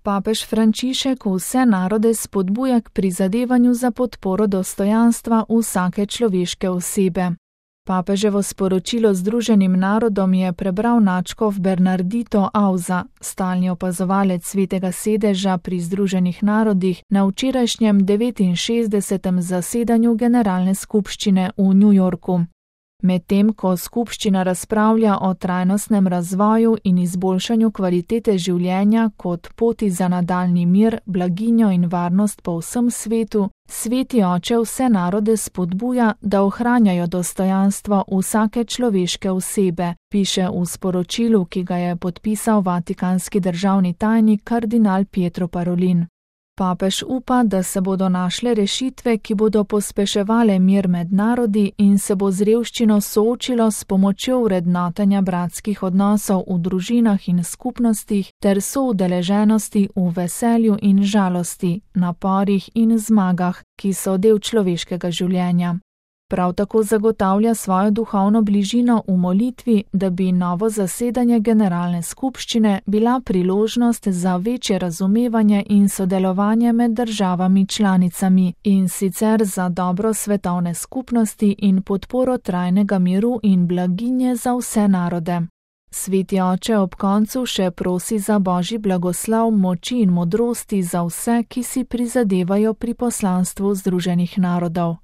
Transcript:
Papež Frančišek vse narode spodbuja k prizadevanju za podporo dostojanstva vsake človeške osebe. Papeževo sporočilo Združenim narodom je prebral nadškof Bernardito Auza, stalni opazovalec Svetega sedeža pri Združenih narodih na včerajšnjem 69. zasedanju Generalne skupščine v New Yorku. Medtem ko skupščina razpravlja o trajnostnem razvoju in izboljšanju kvalitete življenja kot poti za nadaljnji mir, blaginjo in varnost po vsem svetu, Sveti Oče vse narode spodbuja, da ohranjajo dostojanstvo vsake človeške osebe, piše v sporočilu, ki ga je podpisal vatikanski državni tajnik kardinal Pietro Parolin. Papež upa, da se bodo našle rešitve, ki bodo pospeševale mir med narodi in se bo z revščino soočilo s pomočjo vrednotenja bratskih odnosov v družinah in skupnostih ter soudeleženosti v veselju in žalosti, naporih in zmagah, ki so del človeškega življenja. Prav tako zagotavlja svojo duhovno bližino v molitvi, da bi novo zasedanje Generalne skupščine bila priložnost za večje razumevanje in sodelovanje med državami članicami in sicer za dobro svetovne skupnosti in podporo trajnega miru in blaginje za vse narode. Sveti Oče ob koncu še prosi za Božji blagoslov, moči in modrosti za vse, ki si prizadevajo pri poslanstvu Združenih narodov.